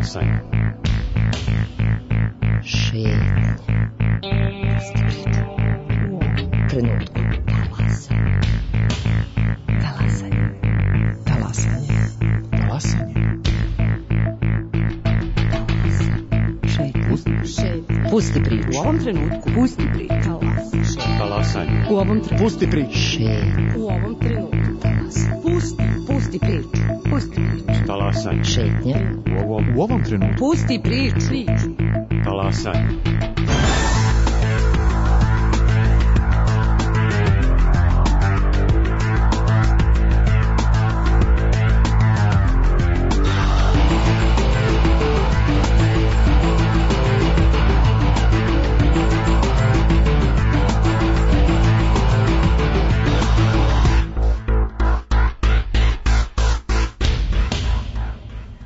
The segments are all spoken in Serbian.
Talasanje. Šetnje. Trenutku. Talasanje. Talasanje. Talasanje. Pusti priču. U ovom trenutku. Pusti priču. Talasanje. U ovom trenutku. Pusti priču. U ovom trenutku. Pusti priču. Pusti priču. Talasanje. Šetnje. U ovom trenutku. Pusti priču. Talasanje.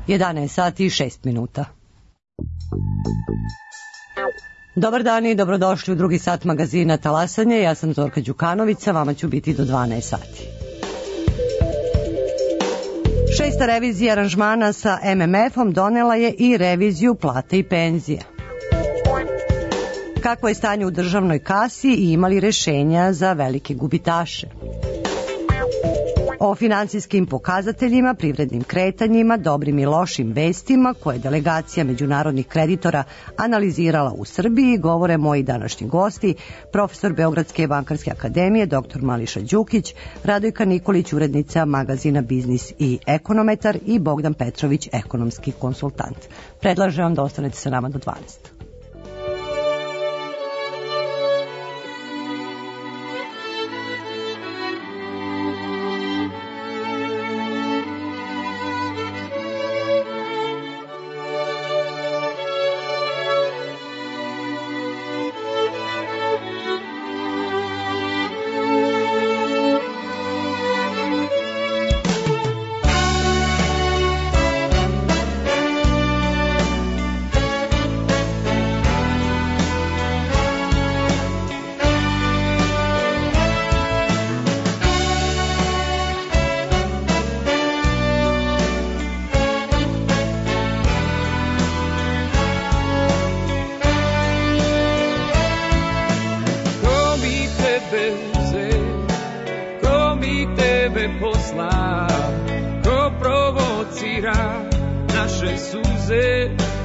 Jedanaest sati i 6 minuta. Dobar dan i dobrodošli u drugi sat magazina Talasanje. Ja sam Zorka Đukanović, vama ću biti do 12 sati. Šesta revizija aranžmana sa MMF-om donela je i reviziju plata i penzija. Kako je stanje u državnoj kasi i imali rešenja za velike gubitaše? O finansijskim pokazateljima, privrednim kretanjima, dobrim i lošim vestima koje delegacija međunarodnih kreditora analizirala u Srbiji govore moji današnji gosti, profesor Beogradske bankarske akademije, dr. Mališa Đukić, Radojka Nikolić, urednica magazina Biznis i ekonometar i Bogdan Petrović, ekonomski konsultant. Predlažem vam da ostanete sa nama do 12.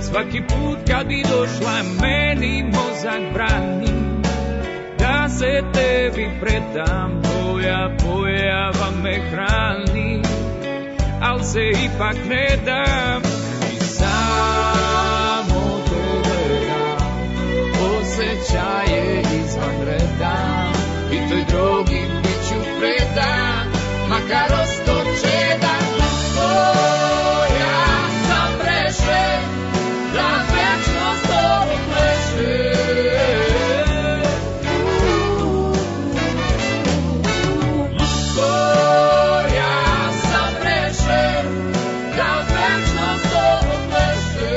Svaki put kad bi došla meni mozak brani da se tebi predam, tvoja pojava me hrani, al se ipak ne dam i samo te gledam, osjećaje izvan reda i toj drogi bit ću predan, makar ostoče da tvoja sam rešen. Da večnost ovo pleše. Ja sam rešen. Da večnost ovo pleše.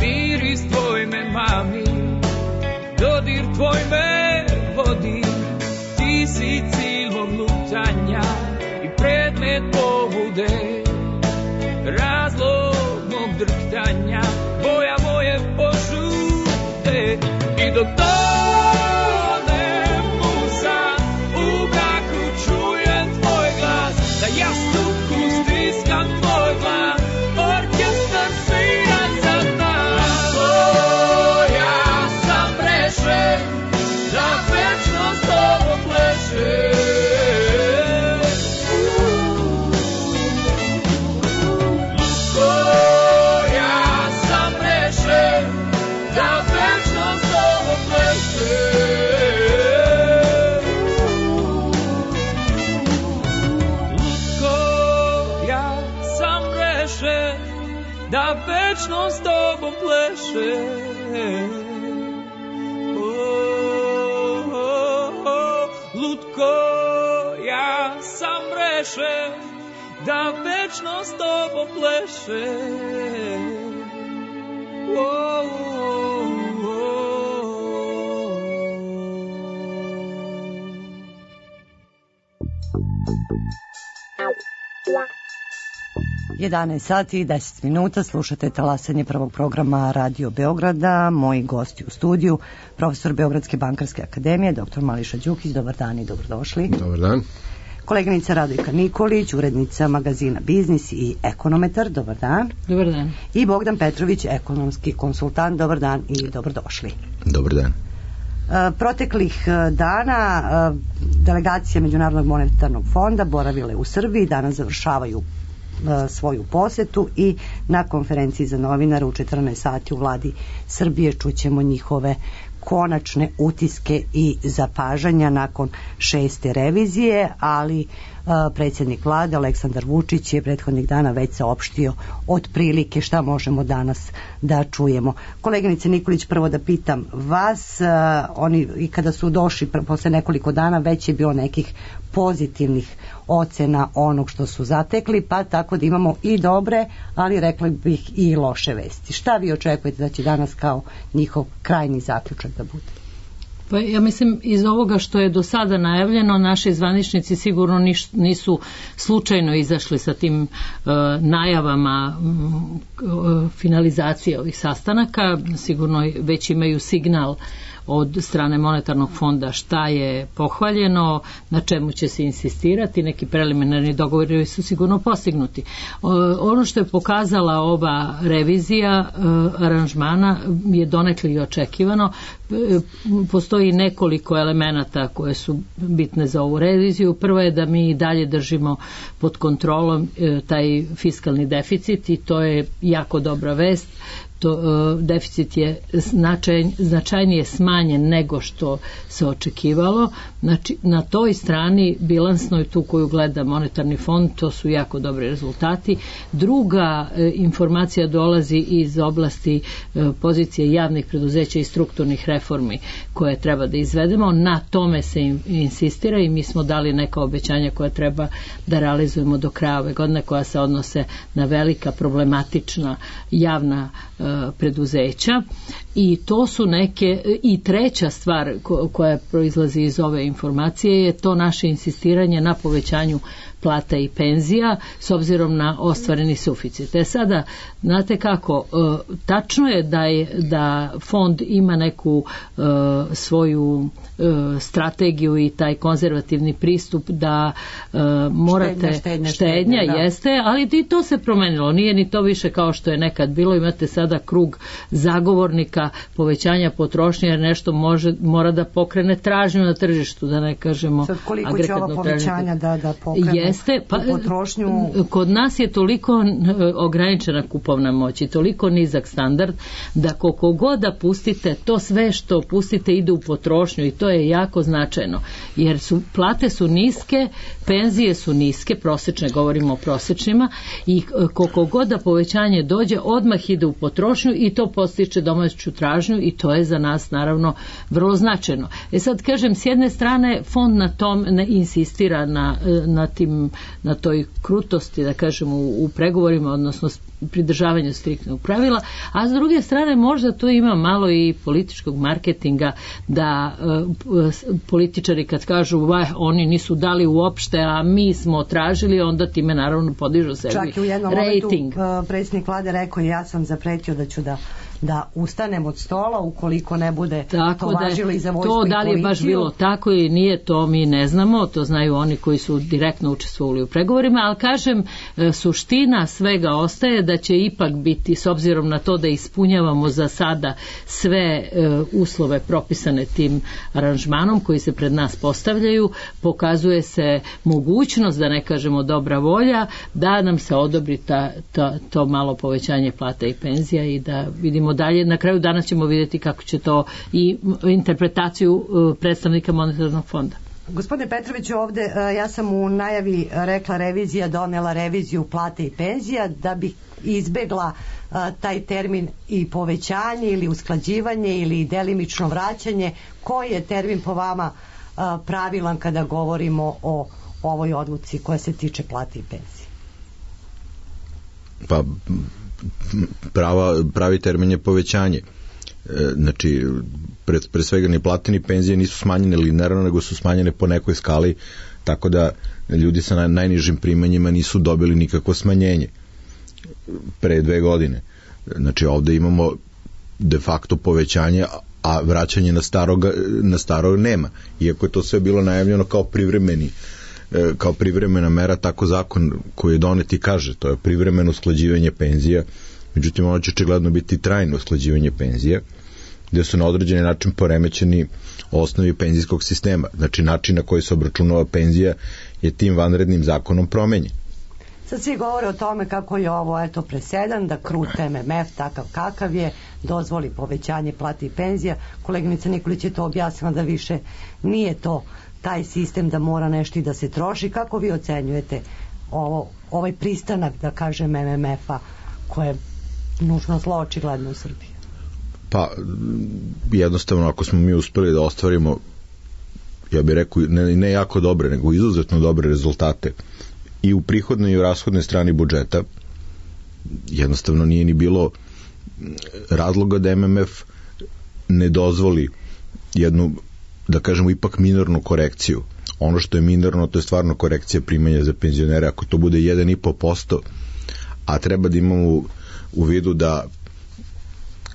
Miris tvoj me mami, dodir tvoj me vodi, ti si cilj mog lutanja i predmet pobude, razlog mog drhtanja, boja moje požute i dok tonem u san, u mraku čujem tvoj glas, da jastuku stiskam tvoj glas. Orkestar svira za nas. Ja sam rešen da večnost ovo pleše. Ja sam rešen da večnost ovo pleše. večno s tobom pleše. Lutko, ja sam rešen da večno s tobom pleše. Jedanaest sati i 10 minuta, slušate talasanje prvog programa Radio Beograda. Moji gosti u studiju, profesor Beogradske bankarske akademije, dr. Mališa Đukić. Dobar dan i dobrodošli. Dobar dan. Koleginica Radojka Nikolić, urednica magazina Biznis i ekonometar. Dobar dan. Dobar dan. I Bogdan Petrović, ekonomski konsultant. Dobar dan i dobrodošli. Dobar dan. Proteklih dana delegacije Međunarodnog monetarnog fonda boravile u Srbiji, danas završavaju svoju posetu i na konferenciji za novinare u 14 sati u vladi Srbije čućemo njihove konačne utiske i zapažanja nakon 6. revizije, ali predsjednik vlade Aleksandar Vučić je prethodnih dana već saopštio otprilike šta možemo danas da čujemo. Koleginice Nikolić, prvo da pitam vas, oni i kada su došli posle nekoliko dana već je bilo nekih pozitivnih ocena onog što su zatekli, pa tako da imamo i dobre, ali rekla bih i loše vesti. Šta vi očekujete da će danas kao njihov krajnji zaključak da bude? Pa ja mislim iz ovoga što je do sada najavljeno, naši zvaničnici sigurno nisu slučajno izašli sa tim najavama finalizacije ovih sastanaka, sigurno već imaju signal od strane monetarnog fonda šta je pohvaljeno, na čemu će se insistirati, neki preliminarni dogovori su sigurno postignuti. Ono što je pokazala ova revizija aranžmana je donekle i očekivano. Postoji nekoliko elemenata koje su bitne za ovu reviziju. Prvo je da mi dalje držimo pod kontrolom taj fiskalni deficit i to je jako dobra vest. Deficit je značajnije smanjen nego što se očekivalo. Znači, na toj strani bilansnoj, tu koju gleda monetarni fond, to su jako dobri rezultati. Druga informacija dolazi iz oblasti pozicije javnih preduzeća i strukturnih reformi koje treba da izvedemo. Na tome se insistira i mi smo dali neka obećanja koja treba da realizujemo do kraja ove godine, koja se odnose na velika problematična javna preduzeća i to su neke, i treća stvar koja proizlazi iz ove informacije je to naše insistiranje na povećanju plata i penzija s obzirom na ostvareni suficit. Sada, znate kako, tačno je da fond ima neku svoju strategiju i taj konzervativni pristup da morate štednja jeste, ali i to se promenilo. Nije ni to više kao što je nekad bilo. Imate sada krug zagovornika povećanja potrošnje jer nešto mora da pokrene tražnju na tržištu, da ne kažemo sad koliko će ova povećanja da pokrene potrošnju? Kod nas je toliko ograničena kupovna moć i toliko nizak standard da koliko god da pustite, to sve što pustite ide u potrošnju i to je jako značajno, jer plate su niske, penzije su niske, prosečne, govorimo o prosečnima, i koliko god da povećanje dođe, odmah ide u potrošnju i to postiče domaću tražnju i to je za nas naravno vrlo značajno. Sad kažem, s jedne strane fond na tom ne insistira na toj krutosti, da kažem, u pregovorima, odnosno pridržavanju striktnog pravila, a s druge strane možda tu ima malo i političkog marketinga, da političari kad kažu oni nisu dali uopšte, a mi smo tražili, onda time naravno podižu sebi rating. Čak i u jednom momentu predsjednik vlade rekao, ja sam zapretio da ću da ustanem od stola ukoliko ne bude to važilo i za vojsku i policiju. To da li je baš bilo tako ili nije, to mi ne znamo, to znaju oni koji su direktno učestvovali u pregovorima, ali kažem, suština svega ostaje da će ipak biti, s obzirom na to da ispunjavamo za sada sve uslove propisane tim aranžmanom koji se pred nas postavljaju, pokazuje se mogućnost, da ne kažemo dobra volja, da nam se odobri to malo povećanje plata i penzija i da vidimo dalje. Na kraju dana ćemo vidjeti kako će to i interpretaciju predstavnika monetarnog fonda. Gospodine Petroviću, ovde ja sam u najavi rekla revizija donela reviziju plate i penzija da bih izbegla taj termin i povećanje ili usklađivanje ili delimično vraćanje. Koji je termin po vama pravilan kada govorimo o ovoj odluci koja se tiče plate i penzije? Pa pravi termin je povećanje. Znači, pre svega ni plate ni penzije nisu smanjene linearno, nego su smanjene po nekoj skali, tako da ljudi sa najnižim primanjima nisu dobili nikakvo smanjenje pre 2 godine. Znači, ovde imamo de facto povećanje, a vraćanje na staro nema. Iako je to sve bilo najavljeno kao privremena mera, tako zakon koji je donet i kaže, to je privremeno usklađivanje penzija, međutim ono će očigledno biti trajno usklađivanje penzija, gde su na određeni način poremećeni osnovi penzijskog sistema. Znači način na koji se obračunava penzija je tim vanrednim zakonom promenjen. Sad svi govore o tome kako je ovo presedan, da krut MMF takav kakav je, dozvoli povećanje plati i penzija. Koleginica Nikolić je to objasnila da više nije to taj sistem da mora nešto i da se troši. Kako vi ocenjujete ovaj pristanak, da kažem, MMF-a koje je nužno zlo očigledno u Srbiji? Pa jednostavno ako smo mi uspeli da ostvarimo, ja bih rekao, ne jako dobre, nego izuzetno dobre rezultate i u prihodnoj i u rashodnoj strani budžeta, jednostavno nije ni bilo razloga da MMF ne dozvoli jednu, da kažemo, ipak minornu korekciju. Ono što je minorno, to je stvarno korekcija primanja za penzionere. Ako to bude 1,5%, a treba da imamo u vidu da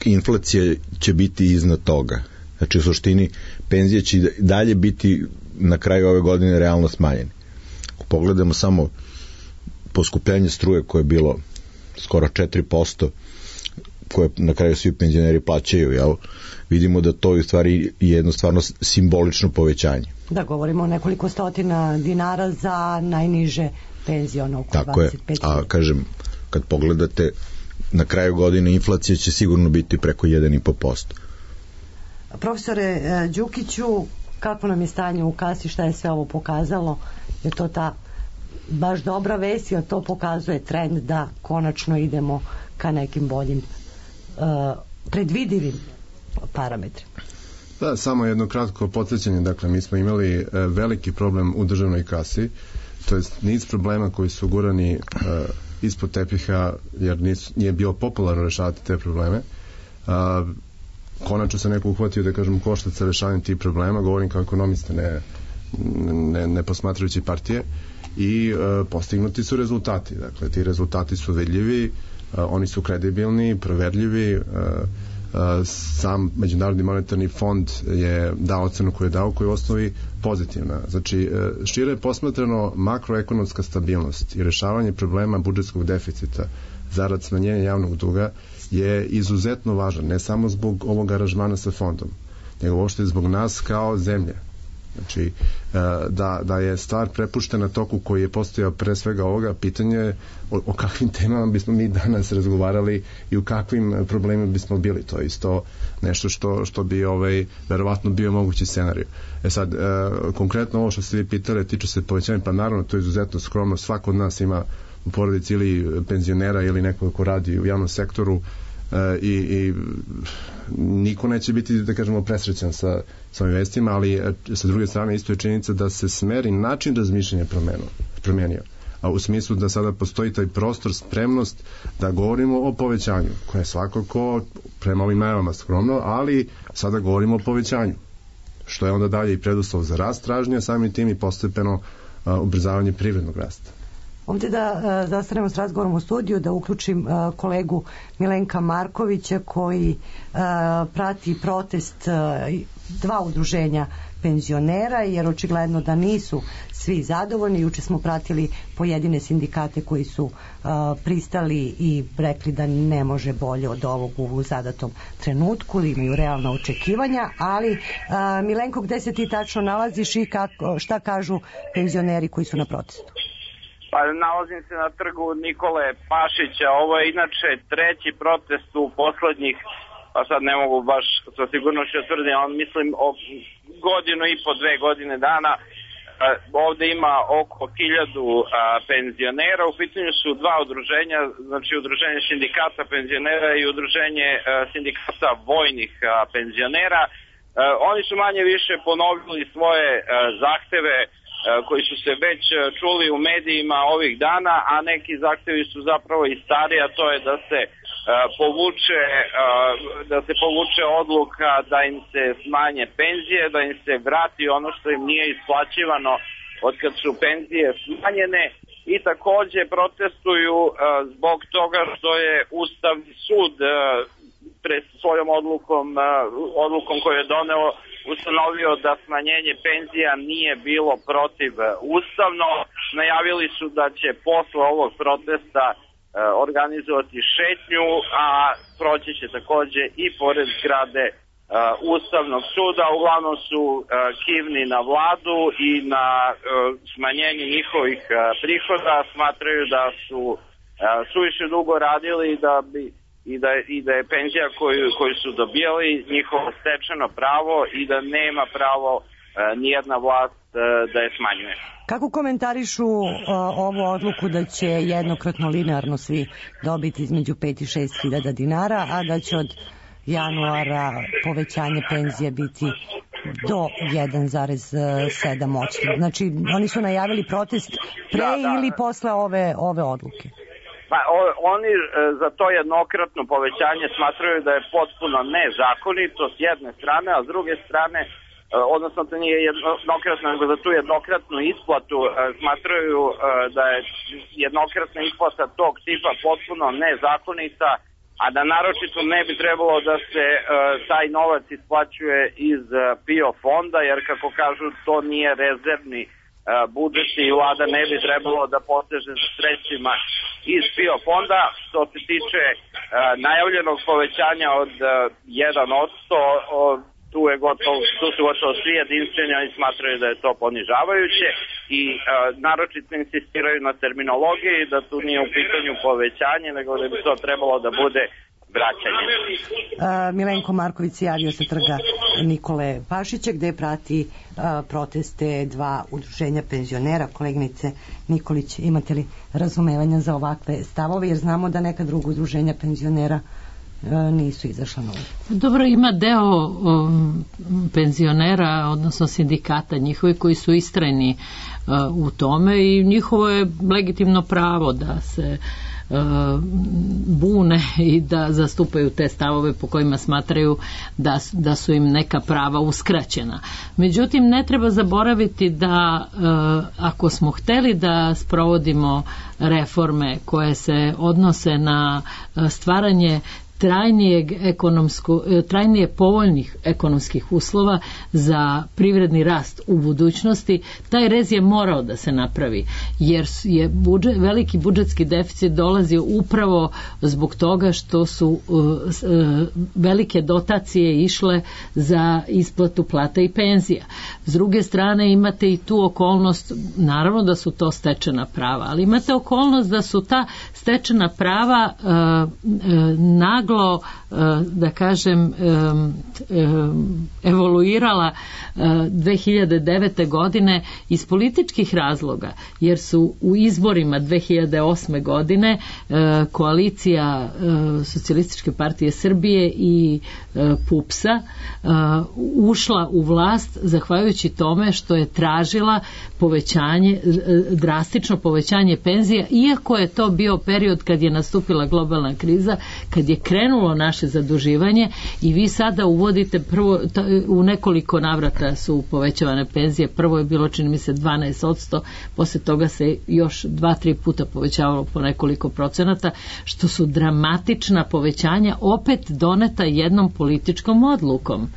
inflacija će biti iznad toga. Znači, u suštini, penzije će dalje biti na kraju ove godine realno smanjene. Ako pogledamo samo poskupljenje struje koje je bilo skoro 4%, koje na kraju svi penzioneri plaćaju, vidimo da to je u stvari jedno stvarno simbolično povećanje. Da, govorimo o nekoliko stotina dinara za najniže penzije, ono oko 25. Tako je, a kažem, kad pogledate, na kraju godine inflacija će sigurno biti preko 1,5%. Profesore Đukiću, kako nam je stanje u kasi, šta je sve ovo pokazalo? Je to ta baš dobra vest, jer to pokazuje trend da konačno idemo ka nekim boljim predvidivim parametrima? Da, samo jedno kratko podsjećanje. Dakle, mi smo imali veliki problem u državnoj kasi, to je niz problema koji su gurani ispod tepiha, jer nije bilo popularno rešavati te probleme. Konačno se neko uhvatio, da kažem, koštac sa rešavanjem tih problema, govorim kao ekonomista, ne posmatrajući partije, i postignuti su rezultati. Dakle, ti rezultati su vidljivi, oni su kredibilni, proverljivi. Sam Međunarodni monetarni fond je dao ocenu koju je dao, koja je u osnovi pozitivna. Znači, šire posmatrano, makroekonomska stabilnost i rešavanje problema budžetskog deficita zarad smanjenja javnog duga je izuzetno važan, ne samo zbog ovog aranžmana sa fondom, nego uopšte zbog nas kao zemlje. Znači, da je stvar prepuštena toku koji je postojao pre svega ovoga, pitanje o kakvim temama bismo mi danas razgovarali i u kakvim problemima bismo bili. To je isto nešto što bi verovatno bio mogući scenarij. Sad, konkretno ovo što ste vi pitali tiče se povećanja, pa naravno to je izuzetno skromno. Svako od nas ima u porodici ili penzionera ili neko ko radi u javnom sektoru, i niko neće biti, da kažemo, presrećan sa ovim vestima, ali sa druge strane isto je činjenica da se smer i način razmišljanja promenio, a u smislu da sada postoji taj prostor, spremnost da govorimo o povećanju, koje je svakako prema ovim najavama skromno, ali sada govorimo o povećanju, što je onda dalje i preduslov za rast tražnje, samim tim i postepeno ubrzavanje privrednog rasta. Ovdje da zastanemo s razgovorom u studiju, da uključim kolegu Milenka Markovića koji prati protest dva udruženja penzionera, jer očigledno da nisu svi zadovoljni. Juče smo pratili pojedine sindikate koji su pristali i rekli da ne može bolje od ovog u zadatom trenutku, imaju realna očekivanja, ali Milenko, gde se ti tačno nalaziš i šta kažu penzioneri koji su na protestu? Pa nalazim se na trgu Nikole Pašića. Ovo je inače treći protest u poslednjih, pa sad ne mogu baš sa sigurnošću tvrditi, ali mislim o godinu i po, 2 godine dana. ovde ima oko 1000 penzionera. U pitanju su dva udruženja, znači udruženje sindikata penzionera i udruženje sindikata vojnih penzionera. Oni su manje više ponovili svoje zahteve koji su se već čuli u medijima ovih dana, a neki zahtevi su zapravo i stariji, a to je da se povuče odluka da im se smanje penzije, da im se vrati ono što im nije isplaćivano od kad su penzije smanjene, i takođe protestuju zbog toga što je Ustavni sud pred svojom odlukom koju je doneo ustanovio da smanjenje penzija nije bilo protiv ustavno. Najavili su da će posle ovog protesta organizovati šetnju, a proći će takođe i pored zgrade Ustavnog suda. Uglavnom su kivni na vladu i na smanjenje njihovih prihoda. Smatraju da su suviše dugo radili i da je penzija koju su dobijali njihovo stečeno pravo i da nema pravo nijedna vlast da je smanjuje. Kako komentarišu ovu odluku da će jednokratno linearno svi dobiti između 5 i 6 hiljada dinara, a da će od januara povećanje penzije biti do 1,7%? Znači, oni su najavili protest pre ili posle ove odluke? Pa, oni za to jednokratno povećanje smatraju da je potpuno nezakonito s jedne strane, a s druge strane, odnosno to nije jednokratno, nego za tu jednokratnu isplatu smatraju da je jednokratna isplata tog tipa potpuno nezakonita, a da naročito ne bi trebalo da se taj novac isplaćuje iz PIO fonda, jer kako kažu to nije rezervni budžet i vlada ne bi trebalo da poteže za sredstvima iz PIO fonda. Što se tiče najavljenog povećanja od 1%, tu su gotovo svi jedinstveni, oni smatraju da je to ponižavajuće i naročito insistiraju na terminologiji, da tu nije u pitanju povećanje, nego da bi to trebalo da bude vraćanje. Milenko Marković se javio sa trga Nikole Pašića, gde prati proteste dva udruženja penzionera. Koleginice Nikolić, imate li razumevanja za ovakve stavove, jer znamo da neka druga udruženja penzionera nisu izašla na ulicu? Dobro, ima deo penzionera, odnosno sindikata njihovi koji su istrajni u tome i njihovo je legitimno pravo da se bune i da zastupaju te stavove po kojima smatraju da su im neka prava uskraćena. Međutim, ne treba zaboraviti da ako smo hteli da sprovodimo reforme koje se odnose na stvaranje trajnije povoljnih ekonomskih uslova za privredni rast u budućnosti, taj rez je morao da se napravi, jer je veliki budžetski deficit dolazio upravo zbog toga što su velike dotacije išle za isplatu plata i penzija. S druge strane, imate i tu okolnost, naravno da su to stečena prava, ali imate okolnost da su ta stečena prava naglo, da kažem, evoluirala 2009. godine iz političkih razloga, jer su u izborima 2008. godine koalicija Socijalističke partije Srbije i PUPS-a ušla u vlast zahvaljujući tome što je tražila drastično povećanje penzija, iako je to bio period kad je nastupila globalna kriza, kad je krenulo naše zaduživanje i vi sada uvodite prvo, u nekoliko navrata su povećavane penzije, prvo je bilo čini mi se 12%, posle toga se još 2-3 puta povećavalo po nekoliko procenata, što su dramatična povećanja opet doneta jednom političkom odlukom.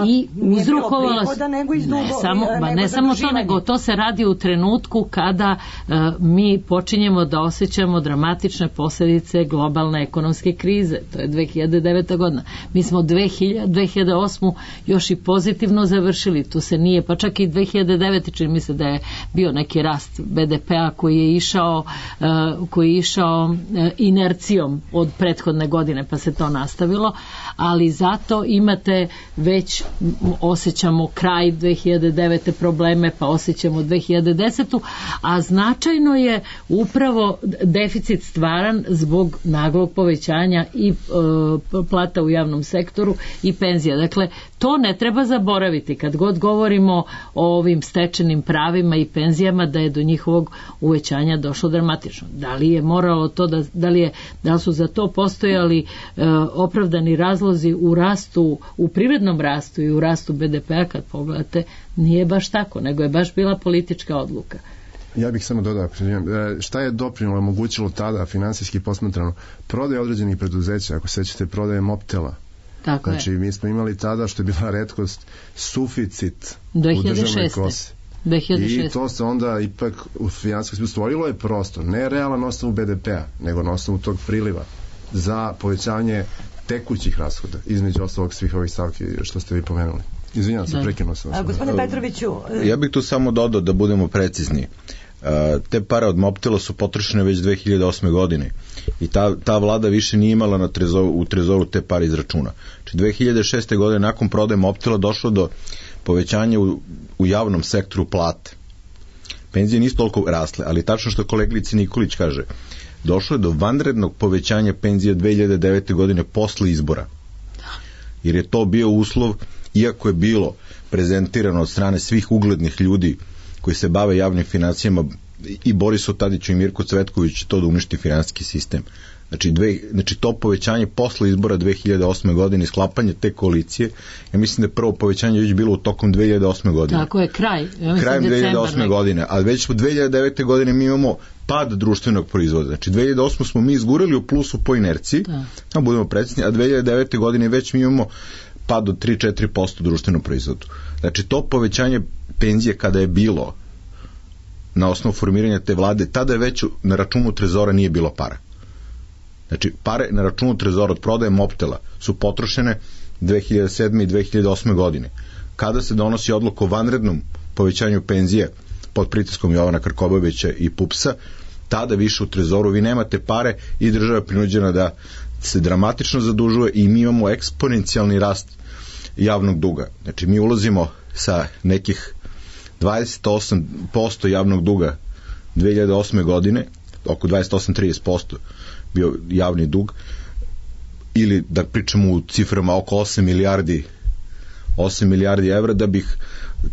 I uzrokovala ne samo to, nego to se radi u trenutku kada mi počinjemo da osjećamo dramatične posljedice globalne ekonomske krize. To je 2009. godina. Mi smo 2008. još i pozitivno završili. Tu se nije, pa čak i 2009. čini mi se da je bio neki rast BDP-a koji je išao inercijom od prethodne godine, pa se to nastavilo, ali zato imate već osjećamo kraj 2009. probleme, pa osjećamo 2010. A značajno je upravo deficit stvaran zbog naglog povećanja i plata u javnom sektoru i penzija. Dakle, to ne treba zaboraviti kad god govorimo o ovim stečenim pravima i penzijama, da je do njihovog uvećanja došlo dramatično. Da li je moralo to, da li su za to postojali opravdani razlozi u rastu, u privrednom rastu i u rastu BDP-a, kad pogledate, nije baš tako, nego je baš bila politička odluka. Ja bih samo dodao, šta je doprinilo, omogućilo tada finansijski posmatrano prodaje određenih preduzeća, ako sećate prodaje Mobtela. Tako znači, mi smo imali tada, što je bila retkost, suficit 2006. u državnoj kosi. 2006. I to se onda ipak u finansijskom smislu stvorilo je prostor, ne realan na osnovu BDP-a, nego na osnovu tog priliva za povećanje tekućih rashoda, između ostalog svih ovih stavki što ste vi pomenuli. Izvinjam se, prekinuo sam vas. Gospodine Petroviću... Ja bih tu samo dodao da budemo precizni. Te pare od Mobtela su potrošene već 2008. godine i ta vlada više nije imala u trezoru te pare iz računa. Znači 2006. godine nakon prodaje Mobtela došlo do povećanja u javnom sektoru plate. Penzije nisu toliko rasle, ali tačno što kolegica Nikolić kaže, došlo je do vanrednog povećanja penzija 2009. godine posle izbora. Jer je to bio uslov, iako je bilo prezentirano od strane svih uglednih ljudi koji se bave javnim financijama, i Borisu Tadiću i Mirku Cvetkoviću, to da uništi finansijski sistem. Znači to povećanje posle izbora 2008. godine i sklapanje te koalicije, ja mislim da je prvo povećanje već bilo u tokom 2008. godine. Tako je, krajem 2008. godine, a već u 2009. godine mi imamo pad društvenog proizvoda. Znači 2008. smo mi izgurali u plusu po inerciji, da budemo precizni, a 2009. godine već mi imamo pad od 3-4% društvenog proizvoda. Znači to povećanje penzije kada je bilo na osnovu formiranja te vlade, tada je već na računu trezora nije bilo para. Znači pare na računu trezora od prodaje Mobtela su potrošene 2007. i 2008. godine. Kada se donosi odluka o vanrednom povećanju penzije pod pritiskom Jovana Krkobabića i PUPS-a, tada više u trezoru vi nemate pare i država je prinuđena da se dramatično zadužuje i mi imamo eksponencijalni rast javnog duga. Znači mi ulazimo sa nekih 28% javnog duga 2008. godine, oko 28-30% bio javni dug, ili da pričamo u ciframa oko 8 milijardi evra,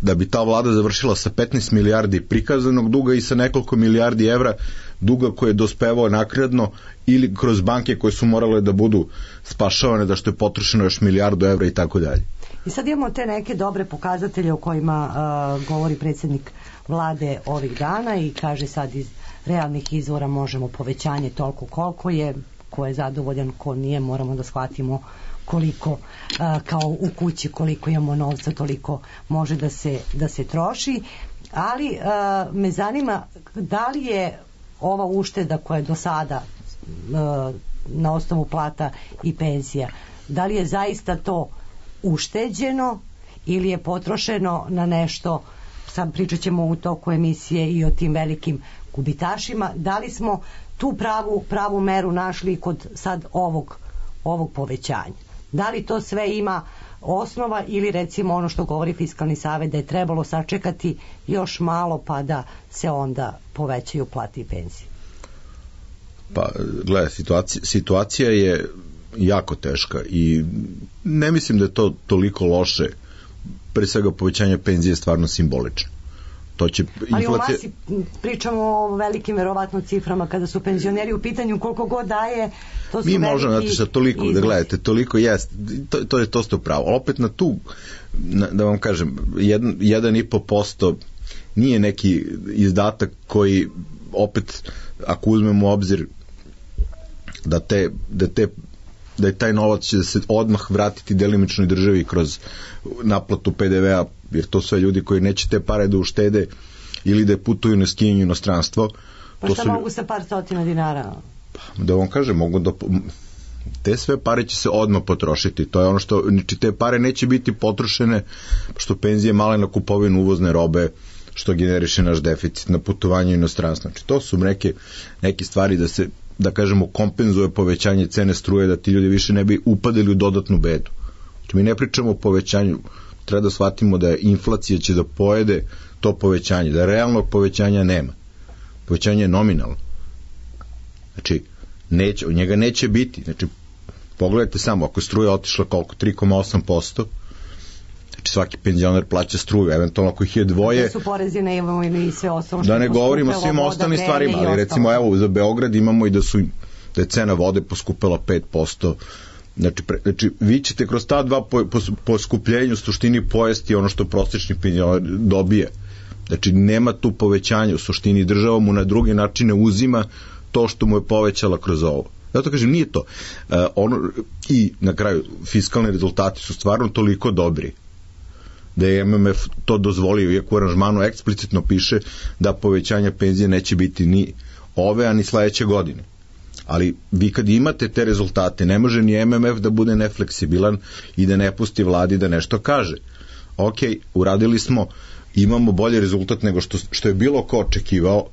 da bi ta vlada završila sa 15 milijardi prikazanog duga i sa nekoliko milijardi evra duga koje je dospevao naknadno ili kroz banke koje su morale da budu spašavane, da što je potrošeno još milijardu evra i tako dalje. I sad imamo te neke dobre pokazatelje o kojima govori predsjednik vlade ovih dana i kaže sad iz realnih izvora možemo povećanje toliko koliko je, ko je zadovoljan, ko nije, moramo da shvatimo koliko kao u kući koliko imamo novca, toliko može da se troši, ali me zanima da li je ova ušteda koja je do sada na osnovu plata i penzija, da li je zaista to ušteđeno ili je potrošeno na nešto, sad pričat ćemo u toku emisije i o tim velikim gubitašima, da li smo tu pravu meru našli kod sad ovog povećanja? Da li to sve ima osnova ili recimo ono što govori Fiskalni savet da je trebalo sačekati još malo pa da se onda povećaju plate i penzije? Pa gledaj, situacija je jako teška i ne mislim da je to toliko loše. Pre svega povećanje penzije je stvarno simbolično. To će ali u masi pričamo o velikim verovatno ciframa kada su penzioneri u pitanju, koliko god daje, to su mi veliki možemo, znate šta, toliko iznos. Da gledate, toliko jest, to ste upravo. Opet na tu, da vam kažem, 1,5% nije neki izdatak koji opet, ako uzmemo u obzir da je taj novac će se odmah vratiti delimičnoj državi kroz naplatu PDV-a, jer to sve ljudi koji neće te pare da uštede ili da putuju na skijenje u inostranstvo. Pa šta mogu sa par stotina dinara? Da vam kažem, te sve pare će se odmah potrošiti. To je ono što, znači te pare neće biti potrošene što penzije male na kupovinu uvozne robe, što generiše naš deficit na putovanje u inostranstvo. Znači to su neke stvari da se, da kažemo, kompenzuje povećanje cene struje, da ti ljudi više ne bi upadali u dodatnu bedu. Znači mi ne pričamo o povećanju treba da shvatimo da inflacija će da pojede to povećanje, da realnog povećanja nema. Povećanje je nominalno. Znači, njega neće biti. Znači, pogledajte samo, ako je struja otišla koliko? 3,8%, znači svaki penzioner plaća struju, eventualno ako ih je dvoje... Da su porezi na imovinu i sve ostalo. Da ne govorimo o svim ostalim stvarima, ali recimo evo za Beograd imamo i da je cena vode poskupela 5%. Znači vi ćete kroz ta dva poskupljenja u suštini pojesti ono što prosječni penzioner dobije. Znači nema tu povećanja, u suštini država mu na druge načine uzima to što mu je povećala kroz ovo. Zato kažem, nije to. I na kraju, fiskalni rezultati su stvarno toliko dobri da je MMF to dozvolio, iako u aranžmanu eksplicitno piše da povećanja penzije neće biti ni ove, a ni sledeće godine. Ali vi kad imate te rezultate, ne može ni MMF da bude nefleksibilan i da ne pusti vladi da nešto kaže. Ok, uradili smo, imamo bolji rezultat nego što je bilo ko očekivao.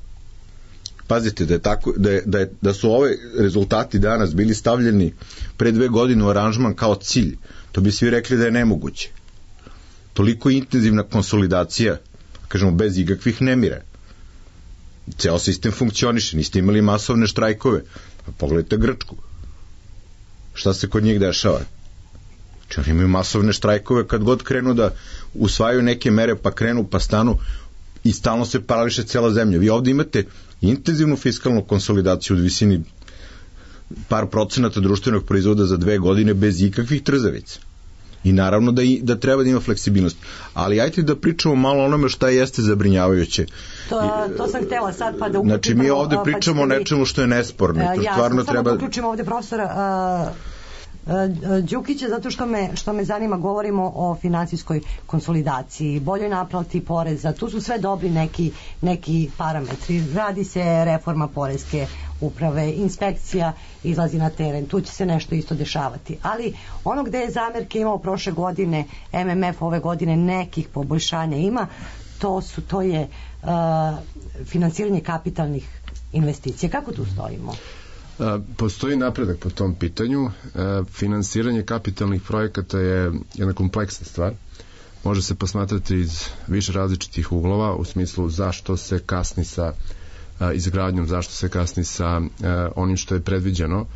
Pazite, da su ove rezultati danas bili stavljeni pre 2 godine u aranžman kao cilj, to bi svi rekli da je nemoguće. Toliko intenzivna konsolidacija, kažemo, bez ikakvih nemira. Ceo sistem funkcioniše, niste imali masovne štrajkove. Pogledajte Grčku. Šta se kod njih dešava? Znači, oni imaju masovne štrajkove kad god krenu da usvajaju neke mere, pa krenu, pa stanu i stalno se parališe cela zemlja. Vi ovde imate intenzivnu fiskalnu konsolidaciju u visini par procenata društvenog proizvoda za 2 godine bez ikakvih trzavica. I naravno da treba da ima fleksibilnost. Ali ajte da pričamo malo o onome šta jeste zabrinjavajuće. To sam htela sad pa da uključim. Znači mi ovde pričamo o nečemu što je nesporno. Jasno, samo da uključimo ovde profesora Đukića, zato što me zanima, govorimo o finansijskoj konsolidaciji, boljoj naplati poreza, tu su sve dobri neki parametri. Radi se reforma poreske uprave, inspekcija izlazi na teren, tu će se nešto isto dešavati. Ali ono gde je zamerke imao prošle godine, MMF ove godine nekih poboljšanja ima, to je finansiranje kapitalnih investicija. Kako tu stojimo? Postoji napredak po tom pitanju. Finansiranje kapitalnih projekata je jedna kompleksna stvar. Može se posmatrati iz više različitih uglova, u smislu zašto se kasni sa izgradnjom, zašto se kasni sa onim što je predviđeno.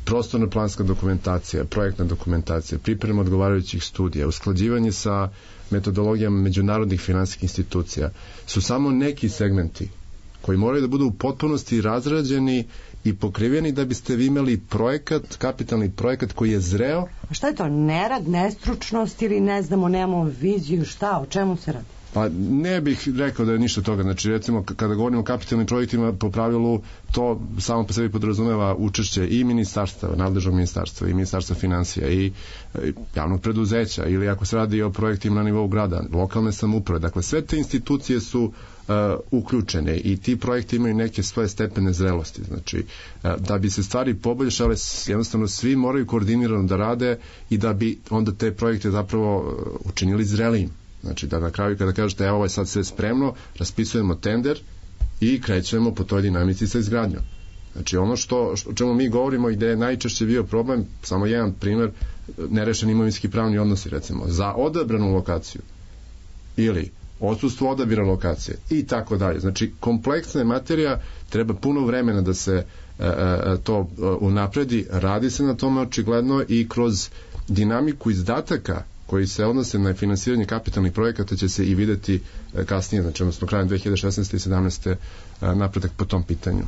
Prostorna planska dokumentacija, projektna dokumentacija, priprema odgovarajućih studija, usklađivanje sa metodologijama međunarodnih finansijskih institucija su samo neki segmenti koji moraju da budu u potpunosti razrađeni i pokriveni da biste vi imali projekat, kapitalni projekat koji je zreo. A šta je to? Nerad, nestručnost ili ne znamo, nemamo viziju, šta, o čemu se radi? Pa ne bih rekao da je ništa toga. Znači, recimo, kada govorimo o kapitalnim projektima, po pravilu to samo po sebi podrazumeva učešće i ministarstva, nadležnog ministarstva, i ministarstva finansija, i javnog preduzeća, ili ako se radi o projektima na nivou grada, lokalne samouprave. Dakle, sve te institucije su uključene i ti projekti imaju neke svoje stepene zrelosti. Znači, da bi se stvari poboljšale, jednostavno svi moraju koordinirano da rade i da bi onda te projekte zapravo učinili zrelijim. Znači, da na kraju kada kažete evo, ovo je sad sve spremno, raspisujemo tender i krećemo po toj dinamici sa izgradnjom. Znači, ono o čemu mi govorimo i gde je najčešće bio problem, samo jedan primer, nerešeni imovinski pravni odnosi, recimo, za odabranu lokaciju ili odsustvo odabira lokacije i tako dalje. Znači, kompleksna je materija, treba puno vremena da se to unapredi, radi se na tome očigledno i kroz dinamiku izdataka koji se odnose na finansiranje kapitalnih projekata će se i videti kasnije, znači odnosno krajem 2016. i 2017. napredak po tom pitanju.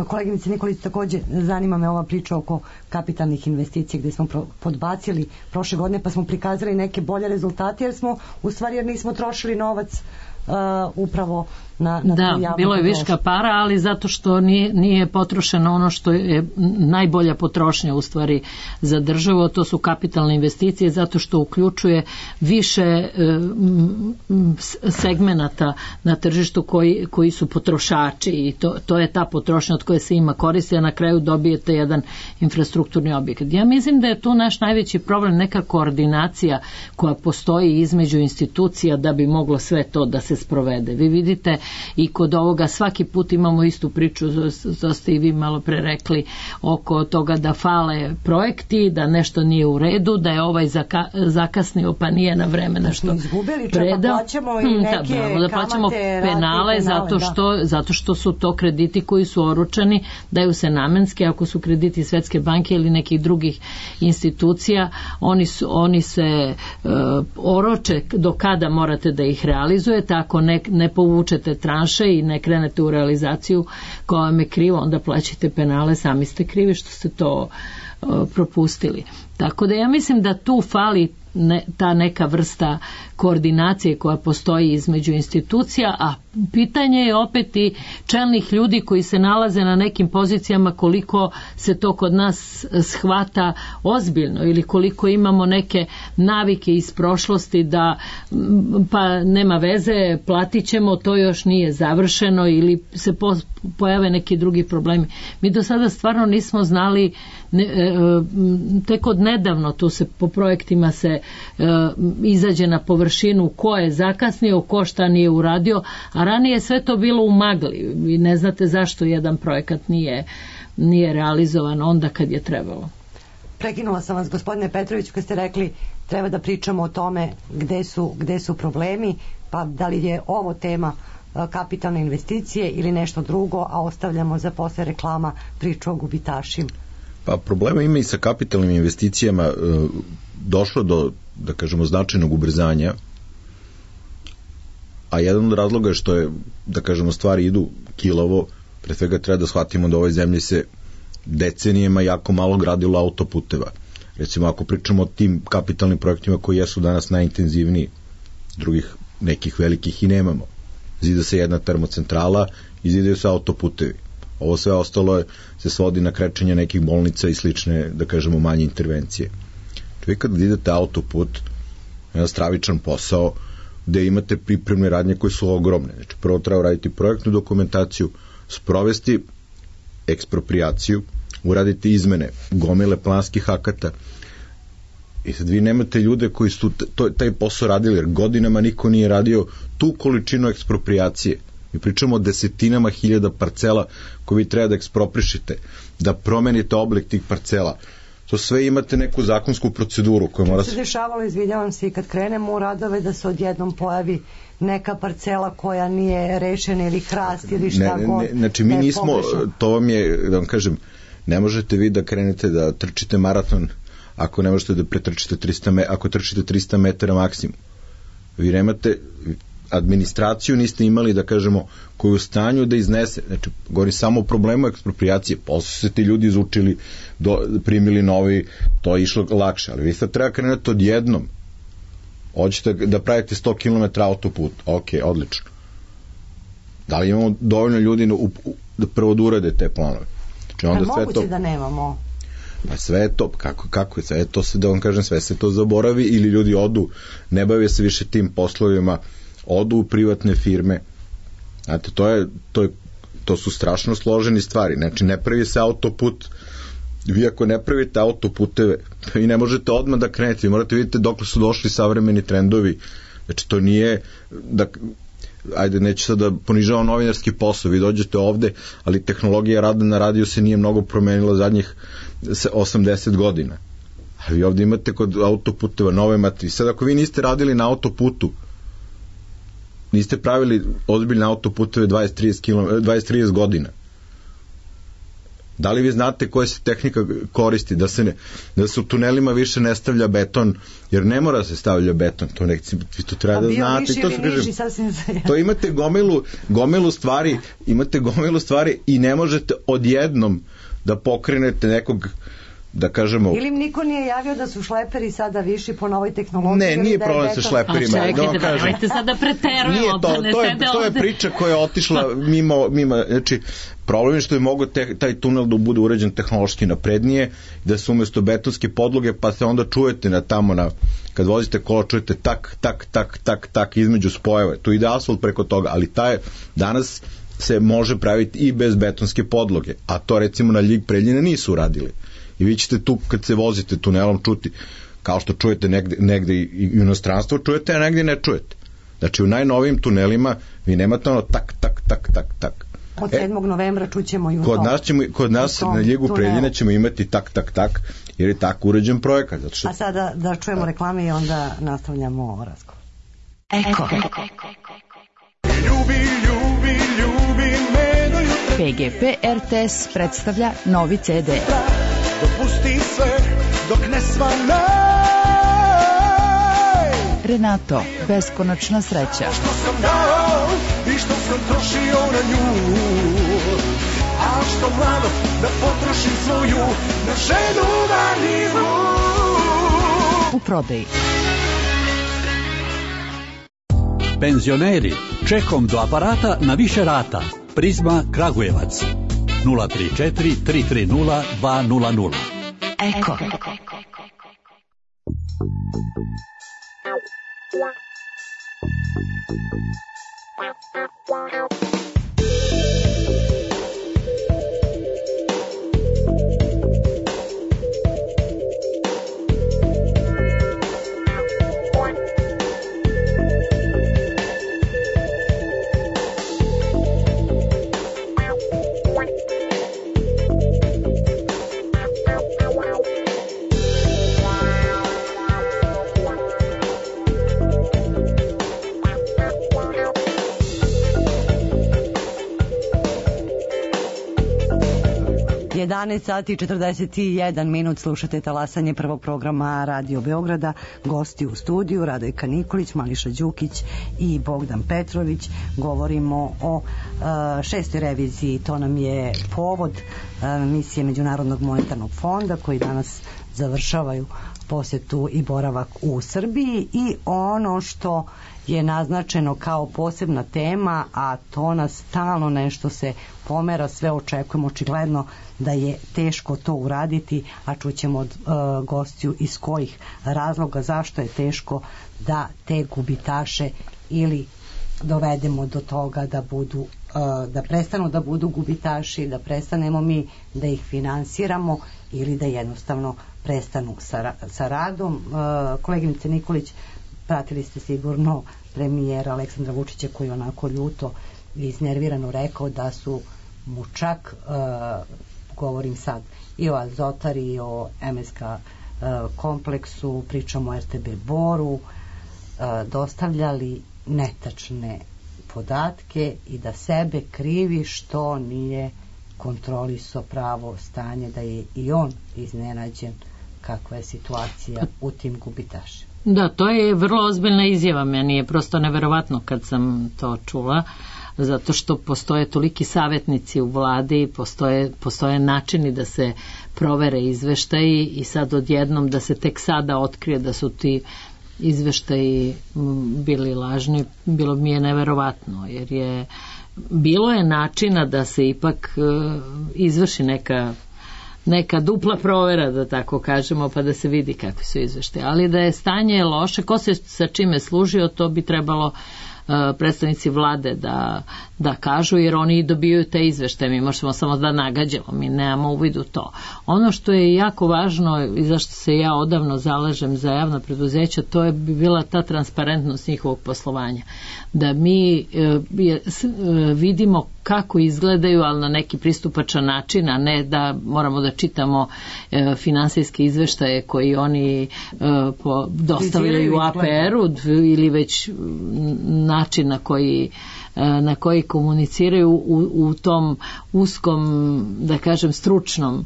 Koleginice Nikolić, takođe zanima me ova priča oko kapitalnih investicija gde smo podbacili prošle godine pa smo prikazali neke bolje rezultate jer nismo trošili novac upravo na da, bilo je viška para, ali zato što nije potrošeno ono što je najbolja potrošnja u stvari za državu, to su kapitalne investicije, zato što uključuje više segmenata na tržištu koji su potrošači i to je ta potrošnja od koje se ima koristi, a na kraju dobijete jedan infrastrukturni objekat. Ja mislim da je tu naš najveći problem neka koordinacija koja postoji između institucija da bi moglo sve to da se se sprovede. Vi vidite i kod ovoga svaki put imamo istu priču, to ste i vi malo pre rekli, oko toga da fale projekti, da nešto nije u redu, da je ovaj zakasnio pa nije na vreme nešto predao. Plaćamo i neke da plaćamo penale zato što su to krediti koji su oročeni, daju se namenski, ako su krediti Svetske banke ili nekih drugih institucija, oni se oroče do kada morate da ih realizujete, ako ne povučete tranše i ne krenete u realizaciju koja vam je krivo, onda plaćate penale, sami ste krivi što ste to propustili. Tako da ja mislim da tu fali ta neka vrsta koordinacije koja postoji između institucija, a pitanje je opet i čelnih ljudi koji se nalaze na nekim pozicijama, koliko se to kod nas shvata ozbiljno ili koliko imamo neke navike iz prošlosti da pa nema veze, platit ćemo, to još nije završeno ili se pojave neki drugi problemi. Mi do sada stvarno nismo znali, tek od nedavno tu se po projektima se izađe na površinu ko je zakasnio, ko šta nije uradio, a ranije sve to bilo u magli. Vi ne znate zašto jedan projekat nije realizovan onda kad je trebalo. Prekinula sam vas, gospodine Petrović, kad ste rekli treba da pričamo o tome gde su problemi, pa da li je ovo tema kapitalne investicije ili nešto drugo, a ostavljamo za posle reklama priču o gubitašima. Pa problema ima i sa kapitalnim investicijama, došlo do, da kažemo, značajnog ubrzanja, a jedan od razloga je što je, da kažemo, stvari idu kilavo. Pre svega treba da shvatimo da u ovoj zemlji se decenijama jako malo gradilo autoputeva. Recimo, ako pričamo o tim kapitalnim projektima koji jesu danas najintenzivniji, drugih nekih velikih i nemamo. Zida se jedna termocentrala i zidaju se autoputevi. Ovo sve ostalo se svodi na krečenje nekih bolnica i slične, da kažemo, manje intervencije. Čovjek kad idete autoput, jedan stravičan posao, gde imate pripremne radnje koje su ogromne. Znači, prvo treba raditi projektnu dokumentaciju, sprovesti eksproprijaciju, uraditi izmene, gomile planskih akata. I sad vi nemate ljude koji su taj posao radili, jer godinama niko nije radio tu količinu eksproprijacije. Mi pričamo o desetinama hiljada parcela koje vi treba da eksproprišite, da promenite oblik tih parcela. To sve imate neku zakonsku proceduru koja mora se dešavalo, izvinjavam se, i kad krenemo u radove da se odjednom pojavi neka parcela koja nije rešena ili hrast ili šta god. Znači mi nismo, to vam je, da vam kažem, ne možete vi da krenete da trčite maraton ako ne možete da pretrčite 300 ako trčite 300 metara maksimum. Vi nemate administraciju, niste imali, da kažemo, koju u stanju da iznese. Znači, govori samo o problemu eksproprijacije. Posle su se ti ljudi izučili, primili novi, to je išlo lakše. Ali vi sad treba krenuti odjednom. Hoćete da pravite 100 km autoput. Ok, odlično. Da li imamo dovoljno ljudi da prvo da urade te planove? Znači, onda sve moguće da nemamo. Pa sve je to, kako je, sve je to se, da vam kažem, sve se to zaboravi ili ljudi odu, ne bave se više tim poslovima, odu u privatne firme. Znate, to su strašno složeni stvari. Znači, ne pravi se autoput. Vi ako ne pravite autoputeve, vi ne možete odmah da krenete. Vi morate vidjeti dokle su došli savremeni trendovi. Znači, to nije ajde, neću sad da ponižavam novinarski posao. Vi dođete ovde, ali tehnologija rada na radiju se nije mnogo promenila zadnjih 80 godina. A vi ovde imate kod autoputeva nove materije. Sad, ako vi niste radili na autoputu, niste pravili ozbiljne autoputeve 20-30 godina. Da li vi znate koja se tehnika koristi, da se u tunelima više ne stavlja beton, jer ne mora se stavlja beton, to vi to treba da znate. To imate gomilu stvari i ne možete odjednom da pokrenete nekog, da kažemo... Ili niko nije javio da su šleperi sada viši po novoj tehnologiji? Ne, nije problem sa šleperima. A čekajte, da nemojte sada preterujemo, da ne sede ovde. To je priča koja je otišla mimo, znači, problem je što je mogo taj tunel da bude uređen tehnološki naprednije, da se umesto betonske podloge, pa se onda čujete kad vozite kola, čujete tak između spojeva. Tu ide asfalt preko toga, ali danas se može praviti i bez betonske podloge, a to recimo na Ljig-Preljina nisu uradili. I vi ćete tu, kad se vozite tunelom, čuti, kao što čujete negde i u inostranstvu čujete, a negde ne čujete. Znači u najnovijim tunelima vi nemate ono tak. Od 7. novembra čućemo i u Kod nas na Ljigu Preljine ćemo imati tak, jer je tako uređen projekat. Zato što... A sada da čujemo reklame i onda nastavljamo razgovor. Eko. Ljubi me do jutra. PGP RTS predstavlja novi CD. Dopusti sve dok ne svanaj. Renato, beskonačna sreća. Što sam dao i što sam trošio na nju, a što mlado da potrošim svoju na ženu marljivu. U prodaji. Penzioneri, čekom do aparata na više rata. Prizma Kragujevac 034 330 200. Eko. Sati i 41 minut, slušate talasanje prvog programa Radio Beograda. Gosti u studiju Radojka Nikolić, Mališa Đukić i Bogdan Petrović. Govorimo o 6. reviziji. To nam je povod misije Međunarodnog monetarnog fonda koji danas završavaju posjetu i boravak u Srbiji, i ono što je naznačeno kao posebna tema, a to nas stalno nešto se pomera, sve očekujemo, očigledno da je teško to uraditi, a čućemo od gostiju iz kojih razloga, zašto je teško da te gubitaše ili dovedemo do toga da budu da prestanu da budu gubitaši, da prestanemo mi da ih finansiramo ili da jednostavno prestanu sa radom. Koleginice Nikolić, pratili ste sigurno premijera Aleksandra Vučića koji onako ljuto i iznervirano rekao da su mu čak, govorim sad i o Azotari i o MSK kompleksu, pričamo o RTB Boru, dostavljali netačne podatke i da sebe krivi što nije kontrolisao pravo stanje, da je i on iznenađen kakva je situacija u tim gubitašima. Da, to je vrlo ozbiljna izjava, meni je prosto neverovatno kad sam to čula, zato što postoje toliki savjetnici u vladi, postoje načini da se provere izveštaji i sad odjednom da se tek sada otkrije da su ti izveštaji bili lažni, bilo mi je neverovatno, jer bilo je načina da se ipak izvrši neka dupla provera, da tako kažemo, pa da se vidi kakvi su izveštaji. Ali da je stanje loše, ko se sa čime služio, to bi trebalo predstavnici vlade da kažu, jer oni dobijaju te izveštaje, mi možemo samo da nagađamo, mi nemamo uvid u to. Ono što je jako važno i zašto se ja odavno zalažem za javna preduzeća, to je bila ta transparentnost njihovog poslovanja, da mi vidimo kako izgledaju, ali na neki pristupačan način, a ne da moramo da čitamo finansijske izveštaje koji oni dostavljaju APR-u ili već način na koji komuniciraju u tom uskom, da kažem, stručnom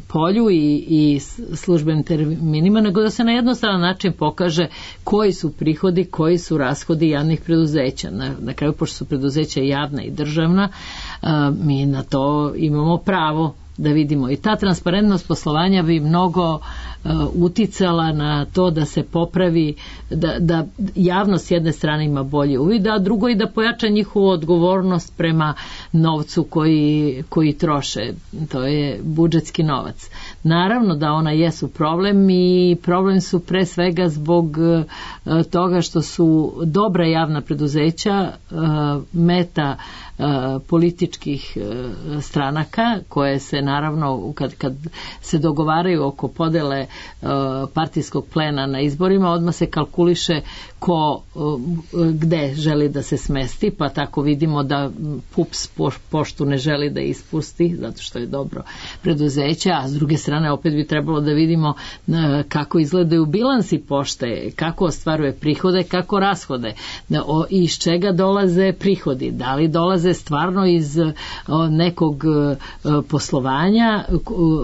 polju i službenim terminima, nego da se na jednostavan način pokaže koji su prihodi, koji su rashodi javnih preduzeća. Na kraju, pošto su preduzeća javna i državna, mi na to imamo pravo da vidimo. I ta transparentnost poslovanja bi mnogo uticala na to da se popravi, da javnost s jedne strane ima bolje uvid, a drugo i da pojača njihovu odgovornost prema novcu koji troše. To je budžetski novac. Naravno da ona jesu problem i problem su pre svega zbog toga što su dobra javna preduzeća meta političkih stranaka koje se naravno kad se dogovaraju oko podele partijskog plena na izborima, odmah se kalkuliše ko gde želi da se smesti, pa tako vidimo da PUPS poštu ne želi da ispusti zato što je dobro preduzeće, a s druge strane opet bi trebalo da vidimo kako izgledaju bilansi pošte, kako ostvaruje prihode, kako rashode, iz čega dolaze prihodi, da li dolaze stvarno iz nekog poslovanja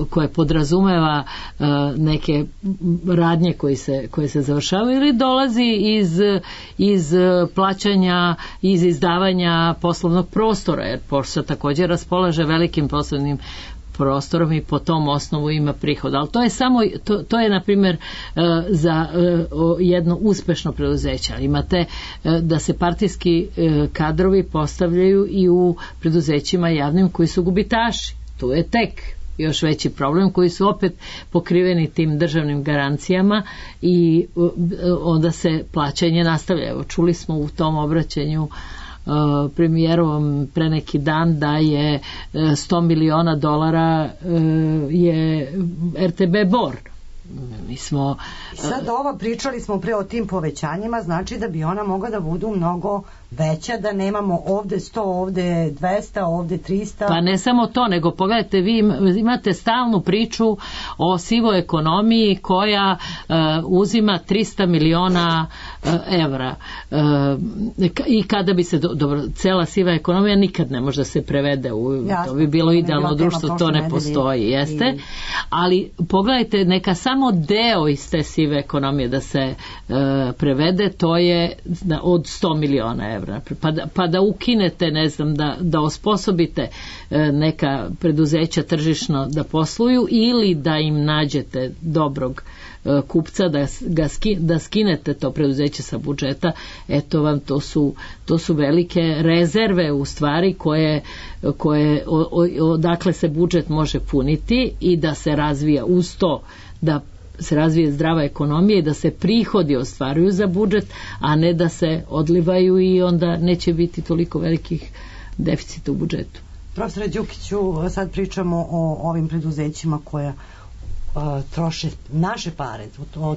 koje podrazumeva neke radnje koje se završavaju, ili dolazi iz plaćanja, iz izdavanja poslovnog prostora, jer pošta također raspolaže velikim poslovnim prostorom i po tom osnovu ima prihod. Ali to je samo, to je na primjer za jedno uspešno preduzeće. Imate da se partijski kadrovi postavljaju i u preduzećima javnim koji su gubitaši. Tu je tek još veći problem, koji su opet pokriveni tim državnim garancijama i onda se plaćanje nastavlja. Evo, čuli smo u tom obraćanju premijerovom pre neki dan da je $100 miliona je RTB Bor. Mi smo sad pričali smo pre o tim povećanjima, znači da bi ona mogla da budu mnogo veća, da nemamo ovde 100, ovde 200, ovde 300. Pa ne samo to, nego pogledajte, vi imate stalnu priču o sivoj ekonomiji koja uzima 300 miliona evra. I kada bi se, dobro, cela siva ekonomija nikad ne može da se prevede to bi bilo idealno društvo, to ne postoji, jeste, ali pogledajte, neka samo deo iz te sive ekonomije da se prevede, to je od 100 miliona evra. Pa da ukinete, ne znam, da osposobite neka preduzeća tržišno da posluju, ili da im nađete dobrog kupca, da skinete to preduzeće sa budžeta, eto vam, to su velike rezerve u stvari koje odakle se budžet može puniti i da se razvija uz to, da se razvije zdrava ekonomija i da se prihodi ostvaruju za budžet, a ne da se odlivaju i onda neće biti toliko velikih deficita u budžetu. Profesore Đukiću, sad pričamo o ovim preduzećima koja troše naše pare, o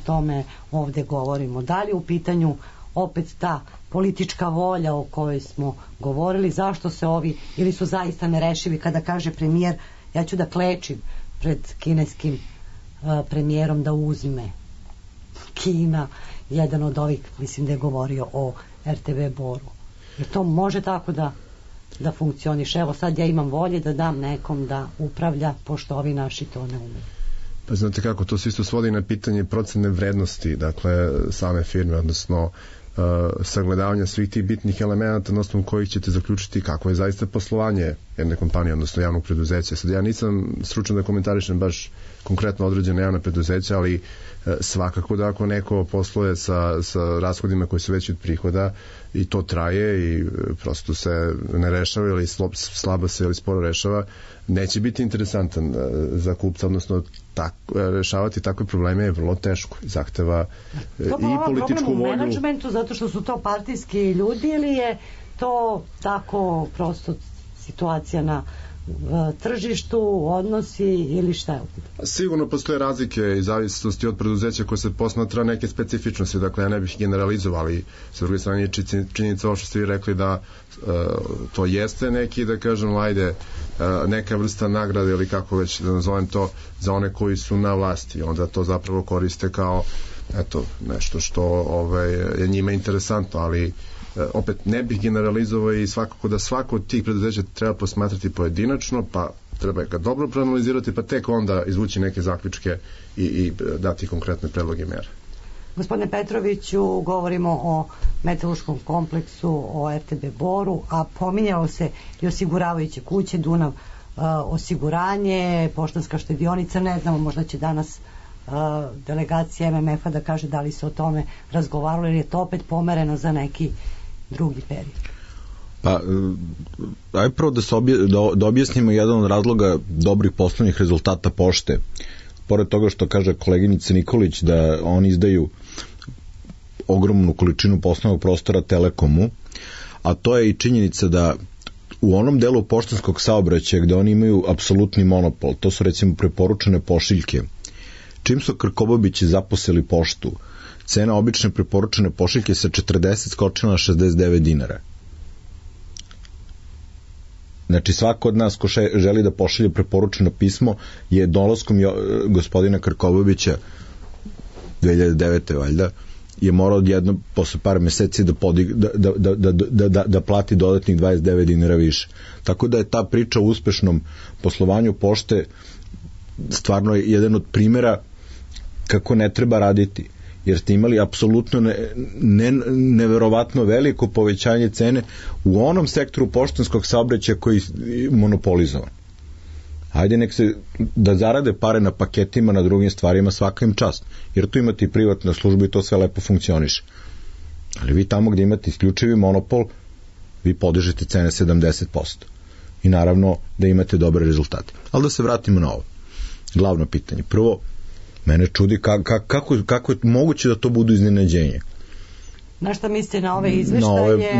tome ovde govorimo. Da li u pitanju opet ta politička volja o kojoj smo govorili, zašto se ovi, ili su zaista nerešivi, kada kaže premijer, ja ću da klečim pred kineskim premijerom da uzme Kina, jedan od ovih, mislim da je govorio o RTV Boru. Jer to može tako da funkcioniše. Evo sad ja imam volje da dam nekom da upravlja, pošto ovi naši to ne umeju. Pa znate kako, to se isto svodi na pitanje procene vrednosti, dakle same firme, odnosno sagledavanja svih tih bitnih elemenata na osnovu kojih ćete zaključiti kako je zaista poslovanje jedne kompanije, odnosno javnog preduzeća. Sad ja nisam stručan da komentarišem baš konkretno određene javne preduzeća, ali svakako da ako neko posluje sa rashodima koji su veći od prihoda i to traje i prosto se ne rešava ili slabo se ili sporo rešava, neće biti interesantan za kupca, odnosno rešavati takve probleme je vrlo teško, zahteva i političku volju. To je problem u menadžmentu zato što su to partijski ljudi, ili je to tako prosto situacija na tržištu, odnosi ili šta je? Sigurno postoje razlike i zavisnosti od preduzeća koje se posmatra neke specifičnosti, dakle ja ne bih generalizovali, sa druge strane činjenica ovo što ste vi rekli da to jeste neki, da kažem, ajde, neka vrsta nagrade ili kako već da nazovem to, za one koji su na vlasti, onda to zapravo koriste kao nešto što je njima interesantno, ali opet ne bih generalizovao i svakako da svako od tih preduzeća treba posmatrati pojedinačno, pa treba ga dobro proanalizirati, pa tek onda izvući neke zaključke i dati konkretne predloge mjere. Gospodine Petroviću, govorimo o metalurškom kompleksu, o RTB Boru, a pominjalo se i osiguravajuće kuće, Dunav osiguranje, Poštanska štedionica, ne znamo, možda će danas delegacija MMF-a da kaže da li se o tome razgovaralo, jer je to opet pomereno za neki drugi period. Pa, aj prvo da objasnimo jedan od razloga dobrih poslovnih rezultata pošte. Pored toga što kaže koleginica Nikolić da oni izdaju ogromnu količinu poslovnog prostora Telekomu, a to je i činjenica da u onom delu poštanskog saobraćaja gde oni imaju apsolutni monopol, to su recimo preporučene pošiljke. Čim su Krkobabići zaposeli poštu, cena obične preporučene pošiljke sa 40 skočila na 69 dinara. Znači svako od nas ko želi da pošalje preporučeno pismo je dolaskom gospodina Krkobabića 2009. valjda je morao odjedno posle par meseci da plati dodatnih 29 dinara više. Tako da je ta priča o uspešnom poslovanju pošte stvarno jedan od primjera kako ne treba raditi, jer ste imali apsolutno neverovatno veliko povećanje cene u onom sektoru poštanskog saobraćaja koji je monopolizovan. Hajde nek se da zarade pare na paketima, na drugim stvarima, svaka im čast, jer tu imate i privatnu službu i to sve lepo funkcioniše. Ali vi tamo gdje imate isključivi monopol, vi podižete cene 70%. I naravno da imate dobre rezultate. Ali da se vratimo na ovo. Glavno pitanje. Prvo, mene čudi kako je moguće da to budu iznenađenje. Na šta mislite na ove izveštaje?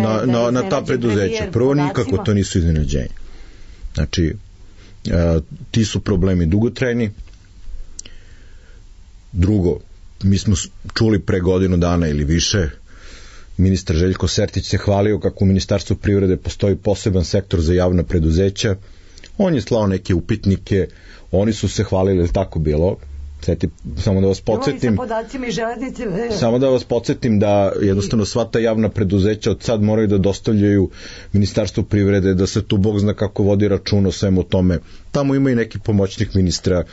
Na ta preduzeća. Prvo, nikako to nisu iznenađenje. Znači, ti su problemi dugotrajni. Drugo, mi smo čuli pre godinu dana ili više, ministar Željko Sertić se hvalio kako u Ministarstvu privrede postoji poseban sektor za javna preduzeća. On je slao neke upitnike, oni su se hvalili, ili tako bilo? Samo da vas podsjetim da jednostavno sva ta javna preduzeća od sad moraju da dostavljaju Ministarstvu privrede, da se tu Bog zna kako vodi račun o svemu tome. Tamo ima i neki pomoćnik ministra.